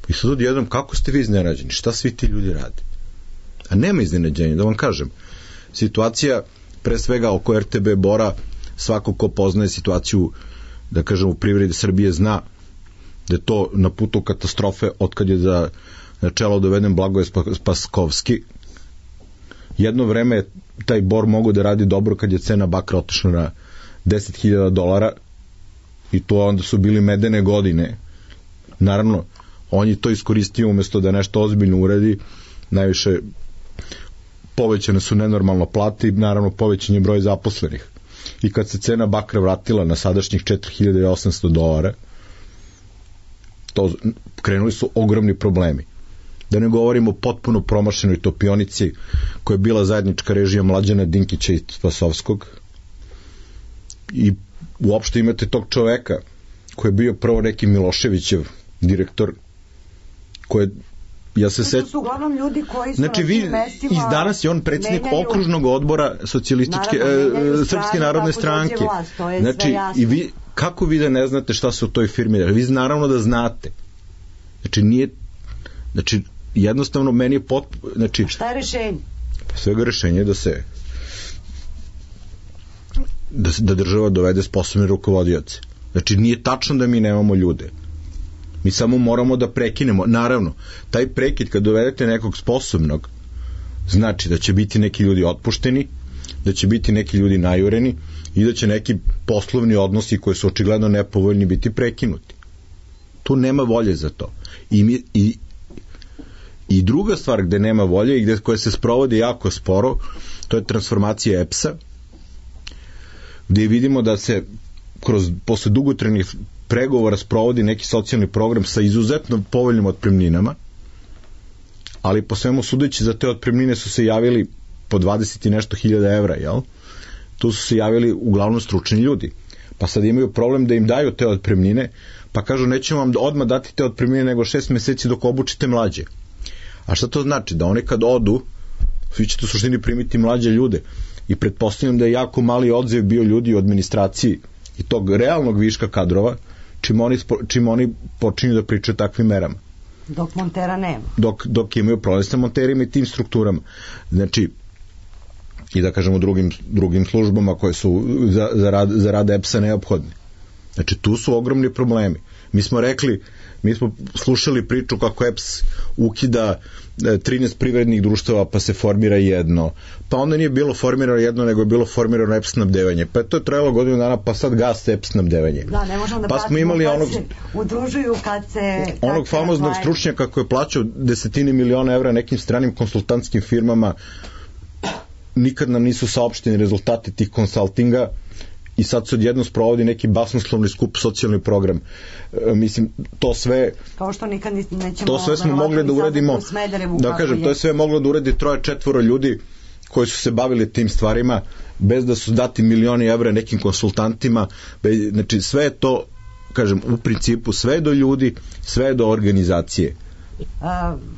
I sad odjednom, kako ste vi iznenađeni? Šta svi ti ljudi rade? A nema iznenađenja, da vam kažem. Situacija, pre svega oko RTB Bora, svako ko poznaje situaciju, da kažem, u privredi Srbije zna da je to na putu katastrofe otkad je na čelo doveden Blagoje Spaskovski. Jedno vreme je taj Bor mogao da radi dobro kad je cena bakra otišla na $10.000 i to onda su bili medene godine. Naravno, on je to iskoristio umjesto da nešto ozbiljno uradi. Najviše povećane su nenormalno plate i naravno povećan je broj zaposlenih. I kad se cena bakra vratila na sadašnjih $4.800, to krenuli su ogromni problemi. Da ne govorimo o potpuno promašenoj topionici koja je bila zajednička režija Mlađana Dinkića i Spasovskog. I uopšte imate tog čoveka koji je bio prvo neki Miloševićev direktor, koji ja se to su uglavnom ljudi koji su znači, vi, iz danas je on predsjednik okružnog odbora socijalističke Srpske narodne stranke. Vlast, znači, i vi, kako vi da ne znate šta se u toj firmi radi? Vi naravno da znate. Znači, nije, znači, jednostavno meni je znači, šta je rešenje? Svega rešenje je da država dovede sposobne rukovodioce. Znači, nije tačno da mi nemamo ljude. Mi samo moramo da prekinemo. Naravno, taj prekid kad dovedete nekog sposobnog, znači da će biti neki ljudi otpušteni, da će biti neki ljudi najureni i da će neki poslovni odnosi koji su očigledno nepovoljni biti prekinuti. Tu nema volje za to. I druga stvar gde nema volje i koja se sprovodi jako sporo, to je transformacija EPS-a, gde vidimo da se posle dugotrajnih pregovora sprovodi neki socijalni program sa izuzetno povoljnim otpremninama, ali po svemu sudeći za te otpremnine su se javili po 20 i nešto hiljada evra, jel? Tu su se javili uglavnom stručni ljudi. Pa sad imaju problem da im daju te otpremnine, pa kažu nećemo vam odmah dati te otpremnine nego 6 meseci dok obučite mlađe. A šta to znači? Da oni kad odu, svi ćete u suštini primiti mlađe ljude. I pretpostavljam da je jako mali odziv bio ljudi u administraciji i tog realnog viška kadrova, čim oni počinju da pričaju takvim merama. Dok montera nema. Dok imaju problem sa monterima i tim strukturama. Znači, i da kažemo drugim službama koje su za rad EPS-a neophodne. Znači, tu su ogromni problemi. Mi smo slušali priču kako EPS ukida 13 privrednih društava pa se formira jedno, pa onda nije bilo formirano jedno nego je bilo formirano EPS snabdevanje, pa to je trajalo godinu dana, pa sad gase EPS snabdevanje. Da, ne možemo da pa smo imali udružuju onog famoznog stručnjaka koji je plaćao desetine miliona evra nekim stranim konsultantskim firmama. nikad nam nisu saopšteni rezultati tih konsultinga i sad se odjedno sprovodi neki basnoslovni skup, socijalni program. Mislim, to sve... Kao što nikad nećemo... To sve smo mogli da uradimo, da kažem, to je sve moglo da uradi 3-4 ljudi koji su se bavili tim stvarima, bez da su dati milioni evra nekim konsultantima. Znači, sve je to, kažem, u principu, sve je do ljudi, sve je do organizacije.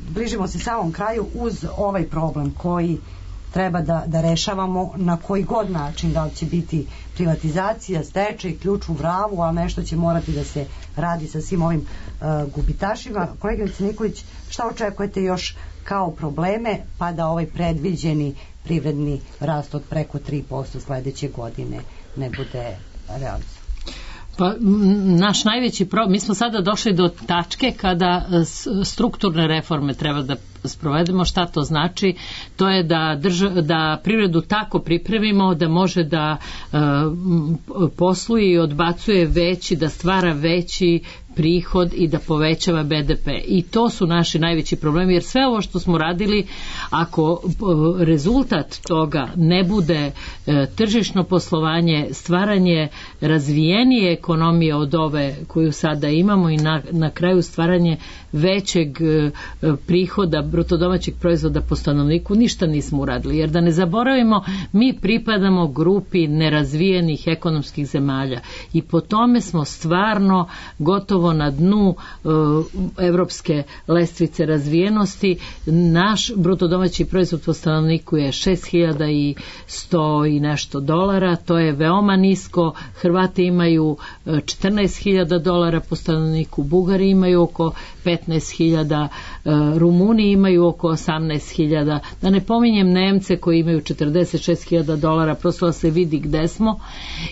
Bližimo se samom kraju uz ovaj problem koji treba da rešavamo na koji god način, da li će biti privatizacija, stečaj, ključ u bravu, ali nešto će morati da se radi sa svim ovim gubitašima. Koleginice Nikolić, šta očekujete još kao probleme, pa da ovaj predviđeni privredni rast od preko 3% sledeće godine ne bude realizovan? Pa, naš najveći problem, mi smo sada došli do tačke kada strukturne reforme treba da sprovedemo. Šta to znači? To je da privredu tako pripremimo da može da posluje i odbacuje veći, da stvara veći prihod i da povećava BDP. I to su naši najveći problemi, jer sve ovo što smo radili, ako rezultat toga ne bude tržišno poslovanje, stvaranje razvijenije ekonomije od ove koju sada imamo i na kraju stvaranje većeg prihoda brutodomaćeg proizvoda po stanovniku, ništa nismo uradili. Jer da ne zaboravimo, mi pripadamo grupi nerazvijenih ekonomskih zemalja i po tome smo stvarno gotovo na dnu evropske lestvice razvijenosti. Naš brutodomaći proizvod po stanovniku je 6.100 i nešto dolara, to je veoma nisko. Hrvati imaju 14.000 dolara po stanovniku, Bugari imaju oko 15.000, Rumuni imaju oko 18.000, da ne pominjem Nemce koji imaju 46.000 dolara, prosto da se vidi gde smo.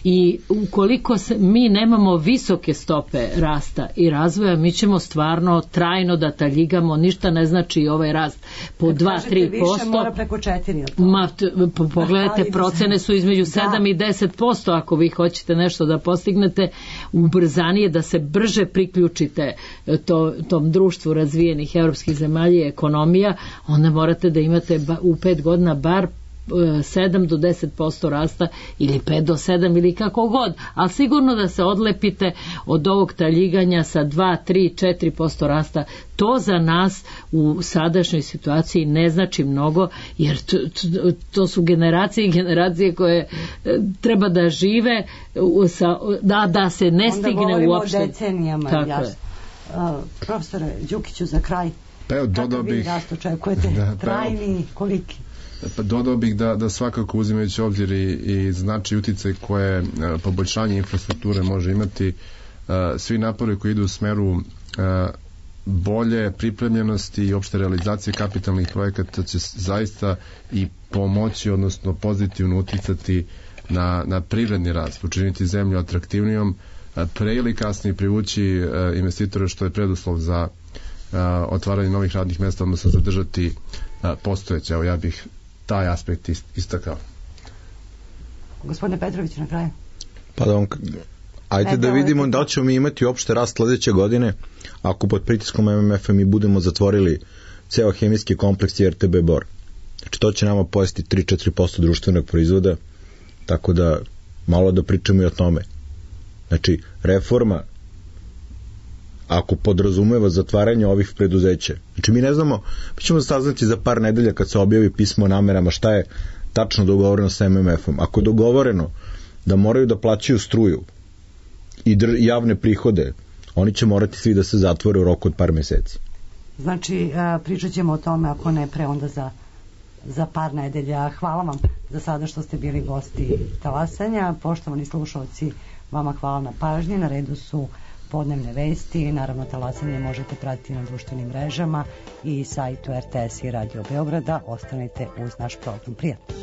I ukoliko mi nemamo visoke stope rasta i razvoja, mi ćemo stvarno trajno da taljigamo, ništa ne znači ovaj rast po 2-3%. Više mora preko 4%. Pogledajte, procene su između 7 i 10%, ako vi hoćete nešto da postignete, ubrzanije, da se brže priključite tom društvu razvijenih evropskih zemalja i ekonomija, onda morate da imate u 5 godina bar 7 do 10% rasta ili 5 do 7 ili kako god, ali sigurno da se odlepite od ovog taljiganja sa 2, 3, 4% rasta. To za nas u sadašnjoj situaciji ne znači mnogo, jer to su generacije i generacije koje treba da žive da se ne stigne uopšte. Onda govorimo o decenijama, jasno. Profesore Đukiću, za kraj, kako vi rast očekujete? Trajni, koliki? Pa dodao bih da svakako, uzimajući obzir i značaj uticaj koje poboljšanje infrastrukture može imati, svi napori koji idu u smeru bolje pripremljenosti i opšte realizacije kapitalnih projekata će zaista i pomoći, odnosno pozitivno uticati na privredni rast, učiniti zemlju atraktivnijom, pre ili kasnije privući investitore, što je preduslov za otvaranje novih radnih mesta, odnosno zadržati postojeće. Evo, ja bih taj aspekt istakao. Gospodine Petrović, na kraju. Pa ajde da vidimo da li ćemo mi imati opšte rast sledeće godine, ako pod pritiskom MMF-a mi budemo zatvorili ceo hemijski kompleks i RTB Bor. Znači, to će nama pojesti 3-4% društvenog proizvoda, tako da malo da pričamo i o tome. Znači, reforma, ako podrazumeva zatvaranje ovih preduzeća. Znači, mi ne znamo, mi ćemo saznati za par nedelja kad se objavi pismo o namerama šta je tačno dogovoreno sa MMF-om. Ako je dogovoreno da moraju da plaćaju struju i javne prihode, oni će morati svi da se zatvore u roku od par meseci. Znači, pričat ćemo o tome, ako ne pre, onda za par nedelja. Hvala vam za sada što ste bili gosti Talasanja. Poštovani slušalci, vama hvala na pažnji. Na redu su podnevne vesti. Naravno, Talasanje možete pratiti na društvenim mrežama i sajtu RTS i Radio Beograda. Ostanite uz naš program. Prijatno.